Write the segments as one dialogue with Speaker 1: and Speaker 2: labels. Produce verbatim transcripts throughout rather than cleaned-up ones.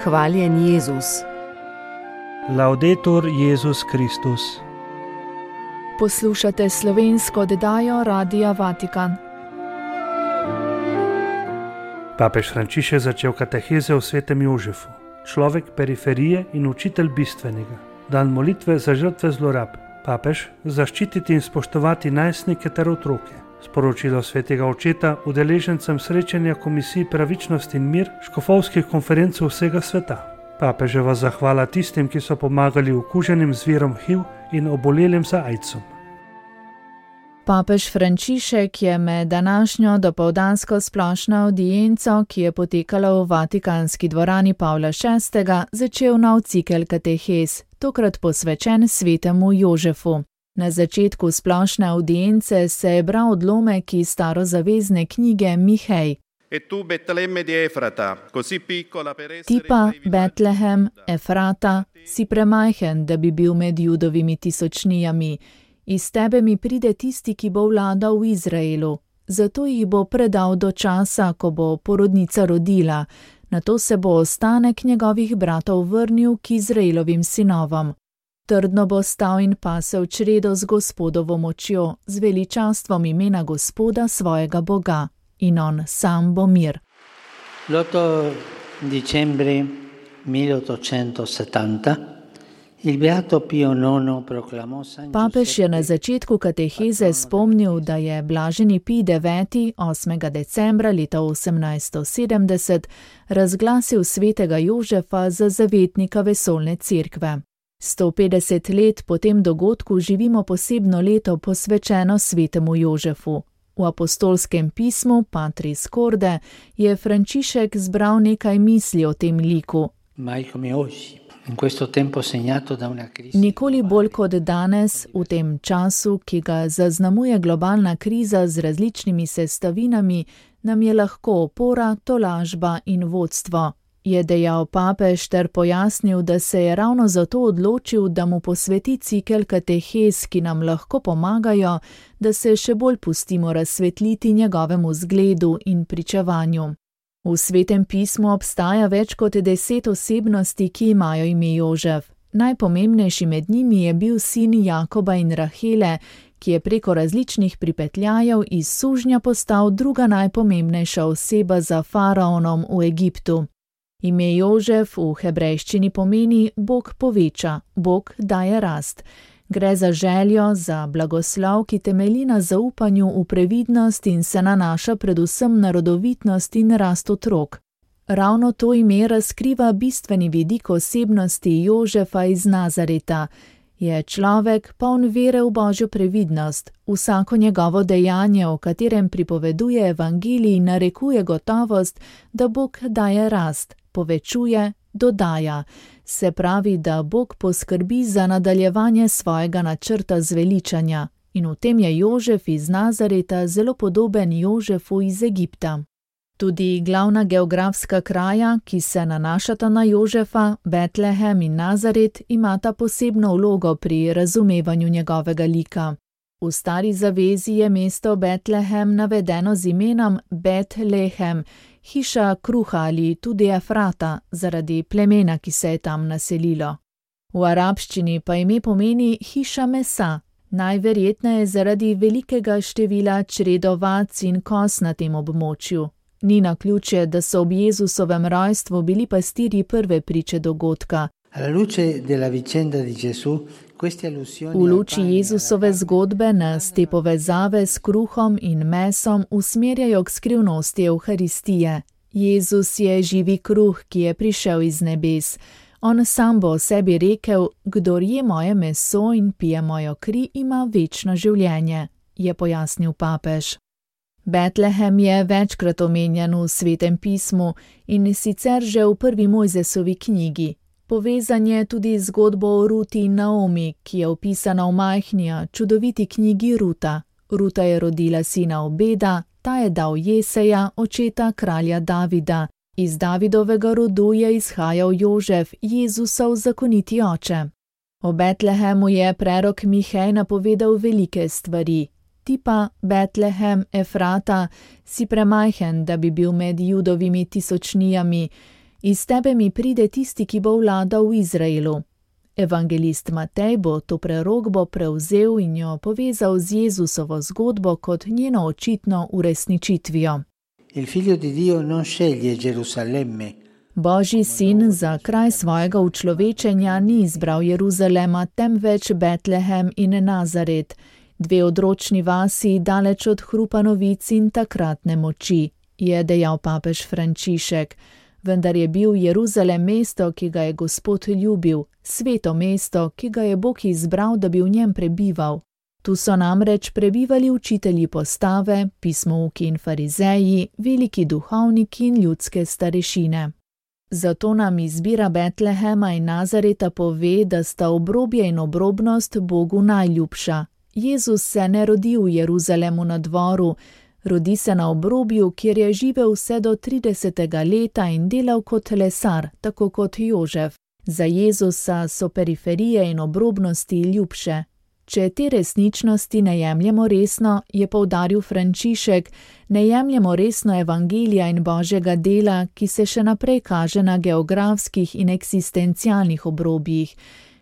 Speaker 1: Hvaljen Jezus.
Speaker 2: Laudetur Jezus Kristus.
Speaker 3: Poslušate slovensko oddajo Radia Vatikan.
Speaker 2: Papež Frančišek je začel kateheze o svetem Jožefu, človek periferije in učitelj bistvenega. Dan molitve za žrtve zlorab. Papež zaščititi in spoštovati najstnike ter otroke. Sporočilo svetega očeta udeležencem srečanja komisij Pravičnost in mir škofovskih konferenc vsega sveta. Papeževa zahvala tistim, ki so pomagali okuženim z virom H I V in obolelim za aidsom.
Speaker 3: Papež Frančišek je med današnjo dopoldansko splošno avdienco, ki je potekala v Vatikanski dvorani Pavla šestega, začel nov cikel katehez, tokrat posvečen svetemu Jožefu. Na začetku splošne avdience se je bral odlomek iz starozavezne knjige Mihej. Ti pa, Betlehem, Efrata, si premajhen, da bi bil med Judovimi tisočnijami. Iz tebe mi pride tisti, ki bo vladal v Izraelu. Zato jih bo predal do časa, ko bo porodnica rodila. Nato se bo ostanek njegovih bratov vrnil k Izraelovim sinovom. Trdno bo stal in pasel čredo z Gospodovo močjo, z veličastvom imena Gospoda svojega Boga. In on sam bo mir.
Speaker 4: l'otto dicembre milleottocentosettanta il Beato Pio nono proclamò San
Speaker 3: Papež je na začetku kateheze spomnil, da je blaženi Pij deveti osmega decembra leta osemnajststo sedemdeset razglasil svetega Jožefa za zavetnika vesoljne cerkve. sto petdeset let po tem dogodku živimo posebno leto posvečeno svetemu Jožefu. V apostolskem pismu Patris Corde je Frančišek zbral nekaj misli o tem liku. Nikoli bolj kot danes, v tem času, ki ga zaznamuje globalna kriza z različnimi sestavinami, nam je lahko opora, tolažba in vodstvo, je dejal papež ter pojasnil, da se je ravno zato odločil, da mu posveti cikel katehez, ki nam lahko pomagajo, da se še bolj pustimo razsvetliti njegovemu zgledu in pričevanju. V svetem pismu obstaja več kot deset osebnosti, ki imajo ime Jožef. Najpomembnejši med njimi je bil sin Jakoba in Rahele, ki je preko različnih pripetljajev iz sužnja postal druga najpomembnejša oseba za faraonom v Egiptu. Ime Jožef v hebrejščini pomeni Bog poveča, Bog daje rast. Gre za željo, za blagoslov, ki temelji na zaupanju v previdnost in se nanaša predvsem na rodovitnost in rast otrok. Ravno to ime razkriva bistveni vidik osebnosti Jožefa iz Nazareta. Je človek poln vere v Božjo previdnost. Vsako njegovo dejanje, o katerem pripoveduje evangelij, narekuje gotovost, da Bog daje rast, povečuje, dodaja. Se pravi, da Bog poskrbi za nadaljevanje svojega načrta zveličanja. In v tem je Jožef iz Nazareta zelo podoben Jožefu iz Egipta. Tudi glavna geografska kraja, ki se nanašata na Jožefa, Betlehem in Nazaret, imata posebno vlogo pri razumevanju njegovega lika. V stari zavezi je mesto Betlehem navedeno z imenom Betlehem, hiša kruha ali tudi Efrata, zaradi plemena, ki se je tam naselilo. V arabščini pa ime pomeni hiša mesa, najverjetneje zaradi velikega števila čredovac in koz na tem območju. Ni naključje, da so ob Jezusovem rojstvu bili pastirji prve priče dogodka. V luči Jezusove zgodbe nas te povezave s kruhom in mesom usmerjajo k skrivnosti Evharistije. Jezus je živi kruh, ki je prišel iz nebes. On sam bo o sebi rekel, kdor je moje meso in pije mojo kri, ima večno življenje, je pojasnil papež. Betlehem je večkrat omenjen v svetem pismu in sicer že v prvi Mojzesovi knjigi. Povezan je tudi zgodbo o Ruti in Naomi, ki je opisana v majhni, čudoviti knjigi Ruta. Ruta je rodila sina Obeda, ta je dal Jeseja, očeta kralja Davida. Iz Davidovega rodu je izhajal Jožef, Jezusov zakoniti oče. O Betlehemu je prerok Mihej napovedal velike stvari. Ti pa, Betlehem, Efrata, si premajhen, da bi bil med Judovimi tisočnijami. Iz tebe mi pride tisti, ki bo vladal v Izraelu. Evangelist Matej bo to prerokbo prevzel in jo povezal z Jezusovo zgodbo kot njeno očitno uresničitvijo.
Speaker 4: Il figlio di Dio non sceglie Gerusalemme.
Speaker 3: Božji sin za kraj svojega učlovečenja ni izbral Jeruzalema, temveč Betlehem in Nazaret, dve odročni vasi daleč od hrupa novic in takratne moči, je dejal papež Frančišek. Vendar je bil Jeruzalem mesto, ki ga je Gospod ljubil, sveto mesto, ki ga je Bog izbral, da bi v njem prebival. Tu so namreč prebivali učitelji postave, pismouki in farizeji, veliki duhovniki in ljudske starešine. Zato nam izbira Betlehema in Nazareta pove, da sta obrobje in obrobnost Bogu najljubša. Jezus se ne rodi v Jeruzalemu na dvoru, rodi se na obrobju, kjer je živel vse do tridesetega leta in delal kot lesar, tako kot Jožef. Za Jezusa so periferije in obrobnosti ljubše. Če te resničnosti ne jemljemo resno, je poudaril Frančišek, ne jemljemo resno evangelija in Božjega dela, ki se še naprej kaže na geografskih in eksistencialnih obrobjih.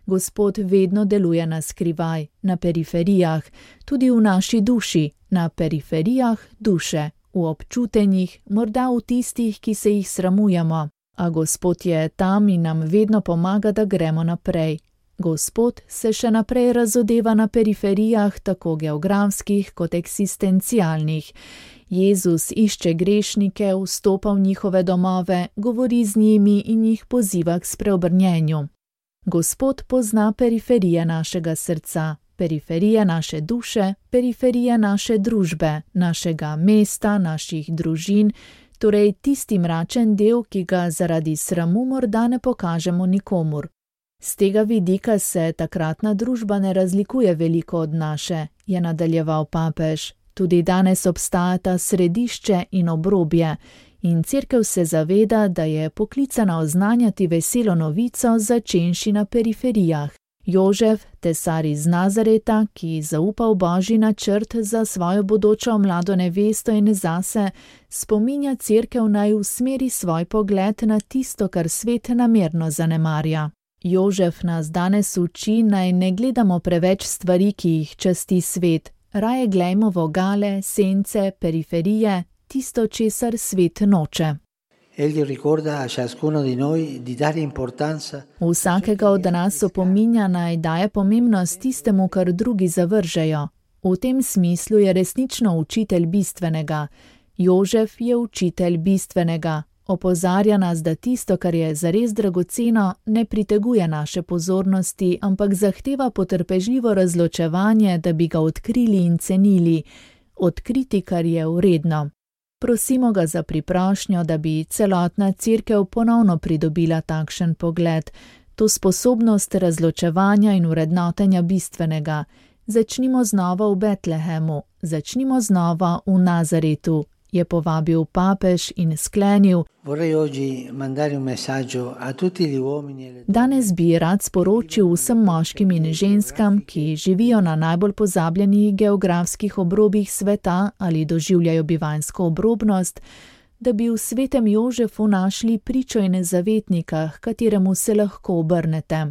Speaker 3: Gospod vedno deluje na skrivaj, na periferijah, tudi v naši duši, na periferijah duše, v občutenjih, morda v tistih, ki se jih sramujemo. A Gospod je tam in nam vedno pomaga, da gremo naprej. Gospod se še naprej razodeva na periferijah, tako geografskih kot eksistencialnih. Jezus išče grešnike, vstopa v njihove domove, govori z njimi in jih poziva k spreobrnjenju. Gospod pozna periferije našega srca, periferije naše duše, periferije naše družbe, našega mesta, naših družin, torej tisti mračen del, ki ga zaradi sramu morda ne pokažemo nikomur. Z tega vidika se takratna družba ne razlikuje veliko od naše, je nadaljeval papež. Tudi danes obstajata središče in obrobje in cerkev se zaveda, da je poklicana oznanjati veselo novico, začenši na periferijah. Jožef, tesar iz Nazareta, ki zaupa v Božji načrt za svojo bodočo mlado nevesto in zase, spominja cerkev naj usmeri svoj pogled na tisto, kar svet namerno zanemarja. Jožef nas danes uči, naj ne gledamo preveč stvari, ki jih časti svet. Raje glejmo vogale, sence, periferije, tisto, česar svet noče. Vsakega od nas opominja, naj daje pomembnost tistemu, kar drugi zavržejo. V tem smislu je resnično učitelj bistvenega. Jožef je učitelj bistvenega. Opozarja nas, da tisto, kar je zares dragoceno, ne priteguje naše pozornosti, ampak zahteva potrpežljivo razločevanje, da bi ga odkrili in cenili. Odkriti, kar je vredno. Prosimo ga za priprošnjo, da bi celotna cerkev ponovno pridobila takšen pogled, to sposobnost razločevanja in vrednotenja bistvenega. Začnimo znova v Betlehemu, začnimo znova v Nazaretu, je povabil papež in sklenil. Danes bi rad sporočil vsem moškim in ženskam, ki živijo na najbolj pozabljenih geografskih obrobjih sveta ali doživljajo bivanjsko obrobnost, da bi v svetem Jožefu našli pričo in zavetnika, h kateremu se lahko obrnete.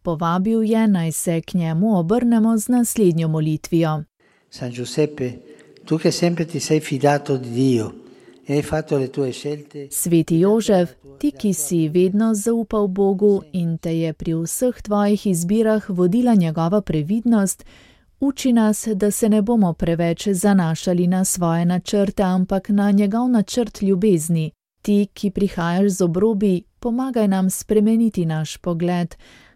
Speaker 3: Povabil je, naj se k njemu obrnemo z naslednjo molitvijo.
Speaker 4: San Giuseppe, tu che sempre ti sei fidato di Dio e hai fatto le tue scelte.
Speaker 3: Sveti Jožef, ti, ki si vedno zaupal Bogu in te je pri vseh tvojih izbirah vodila njegova previdnost, uči nas, da se ne bomo preveč zanašali na svoje načrte, ampak na njegov načrt ljubezni. Ti, ki prihajaš z obrobi, pomagaj nam spremeniti naš pogled,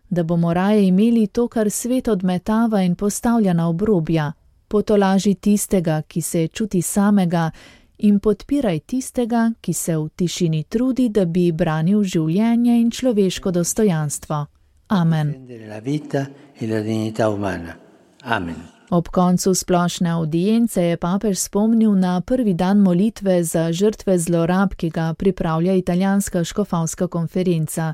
Speaker 3: da bomo raje imeli to, kar svet odmetava in postavlja na obrobja. Potolaži tistega, ki se čuti samega, in podpiraj tistega, ki se v tišini trudi, da bi branil življenje in človeško dostojanstvo. Amen. Ob koncu splošne avdience je papež spomnil na prvi dan molitve za žrtve zlorab, ki ga pripravlja italijanska škofovska konferenca.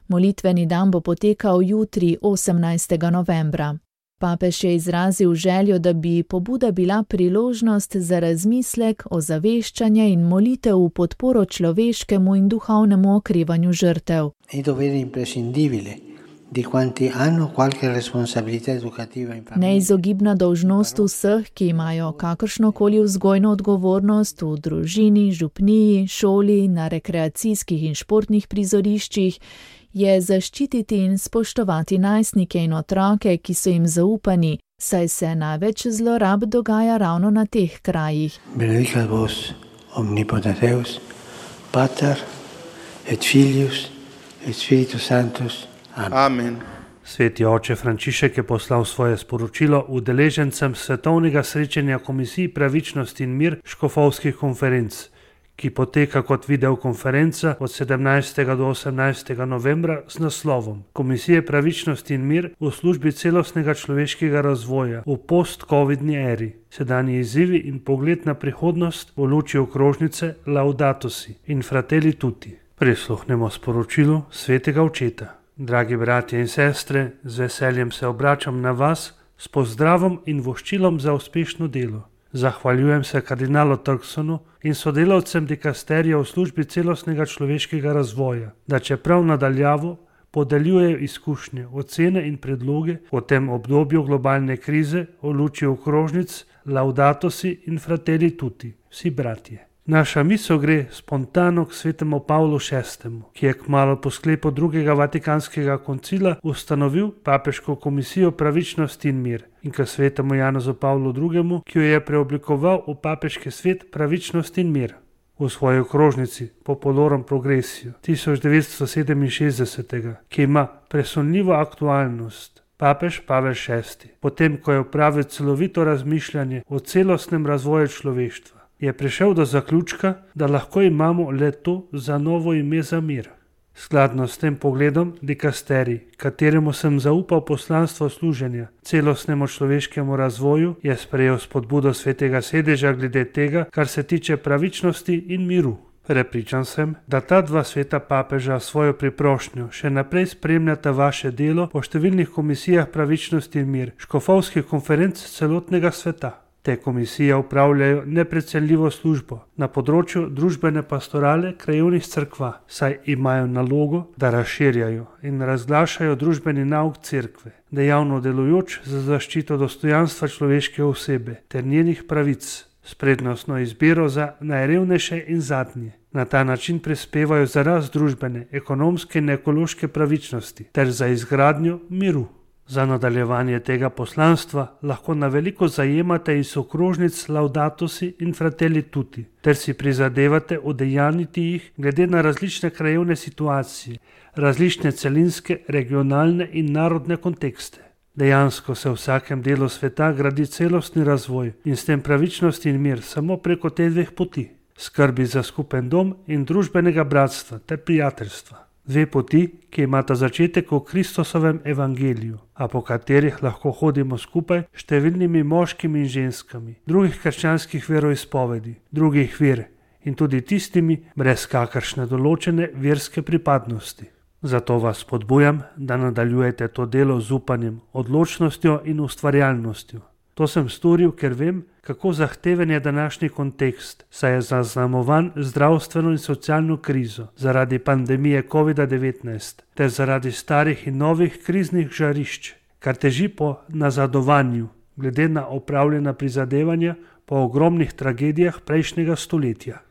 Speaker 3: Molitveni dan bo potekal jutri, osemnajstega novembra. Papež je izrazil željo, da bi pobuda bila priložnost za razmislek, ozaveščanje in molitev v podporo človeškemu in duhovnemu okrevanju žrtev. Neizogibna dolžnost vseh, ki imajo kakršnokoli vzgojno odgovornost v družini, župniji, šoli, na rekreacijskih in športnih prizoriščih, je zaščititi in spoštovati najstnike in otroke, ki so jim zaupani, saj se največ zlorab dogaja ravno na teh krajih.
Speaker 4: Benedicat vos omnipotens Deus, Pater et Filius et Spiritus Sanctus. Amen.
Speaker 2: Amen. Sveti oče Frančišek je poslal svoje sporočilo udeležencem svetovnega srečanja Komisij Pravičnost in mir škofovskih konferenc, ki poteka kot videokonferenca od sedemnajstega do osemnajstega novembra z naslovom Komisije Pravičnost in mir v službi celostnega človeškega razvoja v post-covidni eri. Sedanji izzivi in pogled na prihodnost v luči okrožnice Laudato si in Fratelli tutti. Prisluhnemo sporočilu svetega očeta. Dragi bratje in sestre, z veseljem se obračam na vas s pozdravom in voščilom za uspešno delo. Zahvaljujem se kardinalu Turksonu in sodelavcem dikasterija v službi celostnega človeškega razvoja, da čeprav nadaljavo podeljujejo izkušnje, ocene in predloge o tem obdobju globalne krize v luči okrožnic Laudato si in Fratelli tutti, vsi bratje. Naša misel gre spontano k svetemu Pavlu šestemu, ki je kmalu po sklepu drugega Vatikanskega koncila ustanovil papeško komisijo Pravičnost in mir, in k svetemu Janezu Pavlu drugemu, ki jo je preoblikoval v papeški svet Pravičnost in mir. V svoji okrožnici Populorum Progressio tisoč devetsto sedeminšestdeset, ki ima presunljivo aktualnost, papež Pavel šesti, potem ko je opravil celovito razmišljanje o celostnem razvoju človeštva, je prišel do zaključka, da lahko imamo le to za novo ime za mir. Skladno s tem pogledom dikasterij, kateremu sem zaupal poslanstvo služenja celostnemu človeškemu razvoju, je sprejel spodbudo svetega sedeža glede tega, kar se tiče pravičnosti in miru. Prepričan sem, da ta dva sveta papeža svojo priprošnjo še naprej spremljata vaše delo po številnih komisijah Pravičnosti in mir, škofovskih konferenc celotnega sveta. Te komisije upravljajo neprecenljivo službo na področju družbene pastorale krajevnih cerkva, saj imajo nalogo, da razširjajo in razglašajo družbeni nauk cerkve, dejavno delujoč za zaščito dostojanstva človeške osebe ter njenih pravic, s prednostno izbiro za najrevnejše in zadnje. Na ta način prispevajo za rast družbene, ekonomske in ekološke pravičnosti ter za izgradnjo miru. Za nadaljevanje tega poslanstva lahko na veliko zajemate iz okrožnic Laudato si in Fratelli tutti, ter si prizadevate udejanjiti jih glede na različne krajevne situacije, različne celinske, regionalne in narodne kontekste. Dejansko se v vsakem delu sveta gradi celostni razvoj in s tem pravičnost in mir samo preko teh dveh poti, skrbi za skupen dom in družbenega bratstva ter prijateljstva. Dve poti, ki imata začetek v Kristusovem evangeliju, a po katerih lahko hodimo skupaj s številnimi moškimi in ženskami, drugih krščanskih veroizpovedi, drugih ver in tudi tistimi brez kakršne določene verske pripadnosti. Zato vas spodbujam, da nadaljujete to delo z upanjem, odločnostjo in ustvarjalnostjo. To sem storil, ker vem, kako zahteven je današnji kontekst, saj je zaznamovan zdravstveno in socialno krizo zaradi pandemije kovida devetnajst ter zaradi starih in novih kriznih žarišč, kar teži po nazadovanju, glede na opravljena prizadevanja po ogromnih tragedijah prejšnjega stoletja.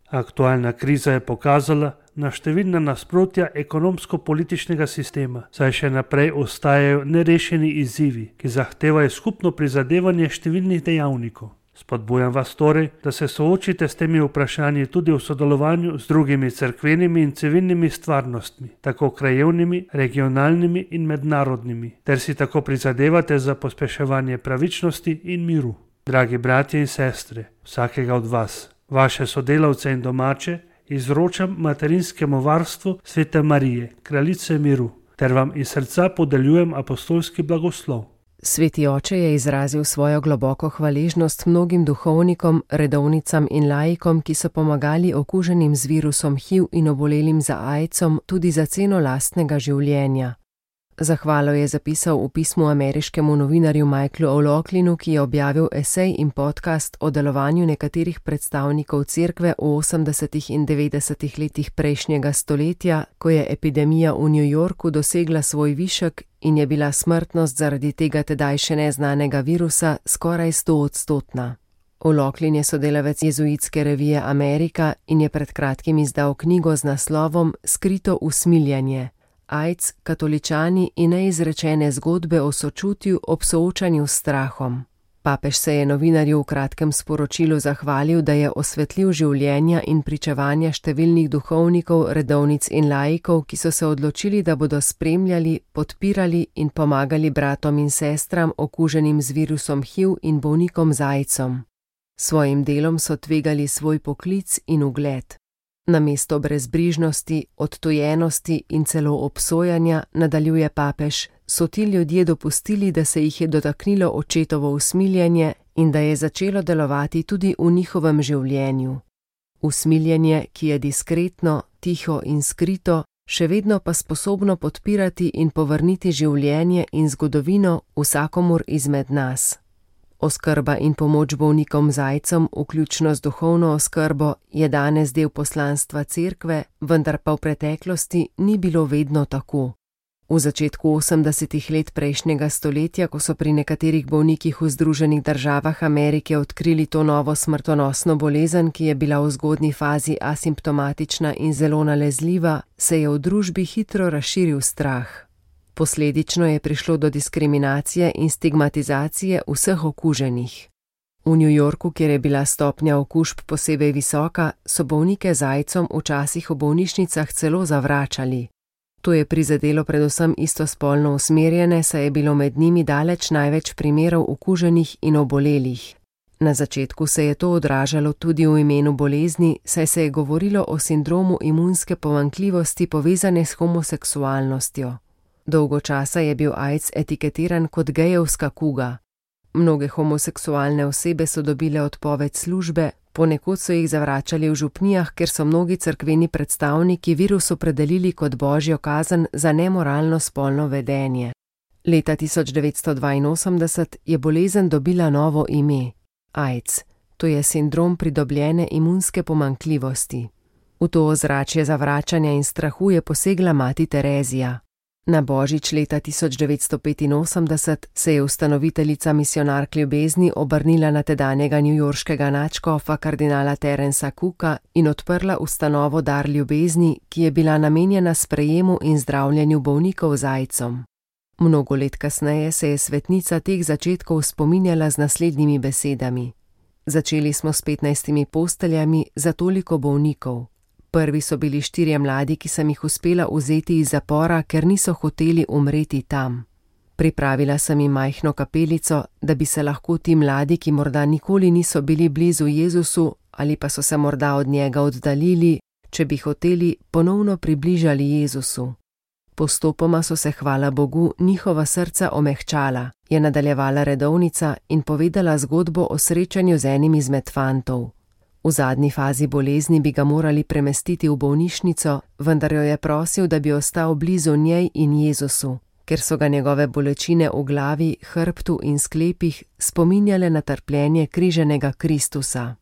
Speaker 2: Aktualna kriza je pokazala na številna nasprotja ekonomsko-političnega sistema, saj še naprej ostajajo nerešeni izzivi, ki zahtevajo skupno prizadevanje številnih dejavnikov. Spodbujam vas torej, da se soočite s temi vprašanji tudi v sodelovanju z drugimi cerkvenimi in civilnimi stvarnostmi, tako krajevnimi, regionalnimi in mednarodnimi, ter si tako prizadevate za pospeševanje pravičnosti in miru. Dragi bratje in sestre, vsakega od vas, vaše sodelavce in domače, izročam materinskemu varstvu Svete Marije, kraljice miru, ter vam iz srca podeljujem apostolski blagoslov.
Speaker 1: Sveti oče je izrazil svojo globoko hvaležnost mnogim duhovnikom, redovnicam in laikom, ki so pomagali okuženim z virusom H I V in obolelim za aidsom tudi za ceno lastnega življenja. Zahvalo je zapisal v pismu ameriškemu novinarju Michaelu O'Loughlynu, ki je objavil esej in podcast o delovanju nekaterih predstavnikov cerkve v osemdesetih in devetdesetih letih prejšnjega stoletja, ko je epidemija v New Yorku dosegla svoj višek in je bila smrtnost zaradi tega tedaj še neznanega virusa skoraj stoodstotna. O'Loughlin je sodelavec jezuitske revije Amerika in je pred kratkim izdal knjigo z naslovom Skrito usmiljanje. AIDS, katoličani in neizrečene zgodbe o sočutju ob soočanju s strahom. Papež se je novinarju v kratkem sporočilu zahvalil, da je osvetlil življenja in pričevanja številnih duhovnikov, redovnic in laikov, ki so se odločili, da bodo spremljali, podpirali in pomagali bratom in sestram okuženim z virusom H I V in bolnikom z AIDSom. Svojim delom so tvegali svoj poklic in ugled. Namesto brezbrižnosti, odtujenosti in celo obsojanja, nadaljuje papež, so ti ljudje dopustili, da se jih je dotaknilo očetovo usmiljenje in da je začelo delovati tudi v njihovem življenju. Usmiljenje, ki je diskretno, tiho in skrito, še vedno pa sposobno podpirati in povrniti življenje in zgodovino vsakomur izmed nas. Oskrba in pomoč bolnikom z AIDSom, vključno z duhovno oskrbo, je danes del poslanstva cerkve, vendar pa v preteklosti ni bilo vedno tako. V začetku osemdesetih let prejšnjega stoletja, ko so pri nekaterih bolnikih v Združenih državah Amerike odkrili to novo smrtonosno bolezen, ki je bila v zgodnji fazi asimptomatična in zelo nalezljiva, se je v družbi hitro razširil strah. Posledično je prišlo do diskriminacije in stigmatizacije vseh okuženih. V New Yorku, kjer je bila stopnja okužb posebej visoka, so bolnike z AIDSom včasih v bolnišnicah celo zavračali. To je prizadelo predvsem istospolno usmerjene, saj je bilo med njimi daleč največ primerov okuženih in obolelih. Na začetku se je to odražalo tudi v imenu bolezni, saj se je govorilo o sindromu imunske pomanjkljivosti povezane s homoseksualnostjo. Dolgo časa je bil AIDS etiketiran kot gejevska kuga. Mnoge homoseksualne osebe so dobile odpoved službe, ponekod so jih zavračali v župnijah, ker so mnogi cerkveni predstavniki virus opredelili kot božjo kazen za nemoralno spolno vedenje. Leta tisoč devetsto dvainosemdeset je bolezen dobila novo ime – AIDS, to je sindrom pridobljene imunske pomanjkljivosti. V to ozračje zavračanja in strahu je posegla mati Terezija. Na božič leta tisoč devetsto petinosemdeset se je ustanoviteljica Misionark ljubezni obrnila na tedanjega newyorškega nadškofa kardinala Terensa Cooka in odprla ustanovo Dar ljubezni, ki je bila namenjena sprejemu in zdravljenju bolnikov z AIDSom. Mnogo let kasneje se je svetnica teh začetkov spominjala z naslednjimi besedami. Začeli smo s petnajstimi posteljami za toliko bolnikov. Prvi so bili štirje mladi, ki sem jih uspela vzeti iz zapora, ker niso hoteli umreti tam. Pripravila sem jim majhno kapelico, da bi se lahko ti mladi, ki morda nikoli niso bili blizu Jezusu ali pa so se morda od njega oddaljili, če bi hoteli, ponovno približali Jezusu. Postopoma so se, hvala Bogu, njihova srca omehčala, je nadaljevala redovnica in povedala zgodbo o srečanju z enim izmed fantov. V zadnji fazi bolezni bi ga morali premestiti v bolnišnico, vendar jo je prosil, da bi ostal blizu njej in Jezusu, ker so ga njegove bolečine v glavi, hrbtu in sklepih spominjale na trpljenje križenega Kristusa.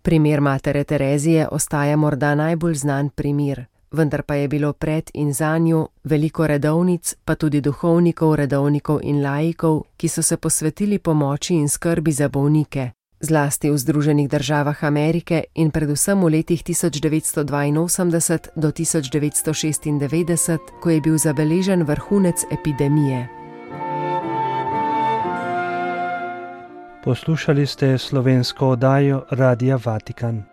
Speaker 1: Primer matere Terezije ostaja morda najbolj znan primer, vendar pa je bilo pred in za njo veliko redovnic, pa tudi duhovnikov, redovnikov in laikov, ki so se posvetili pomoči in skrbi za bolnike, zlasti v Združenih državah Amerike in predvsem v letih tisoč devetsto dvainosemdeset do tisoč devetsto šestindevetdeset, ko je bil zabeležen vrhunec epidemije.
Speaker 2: Poslušali ste slovensko oddajo Radia Vatikan.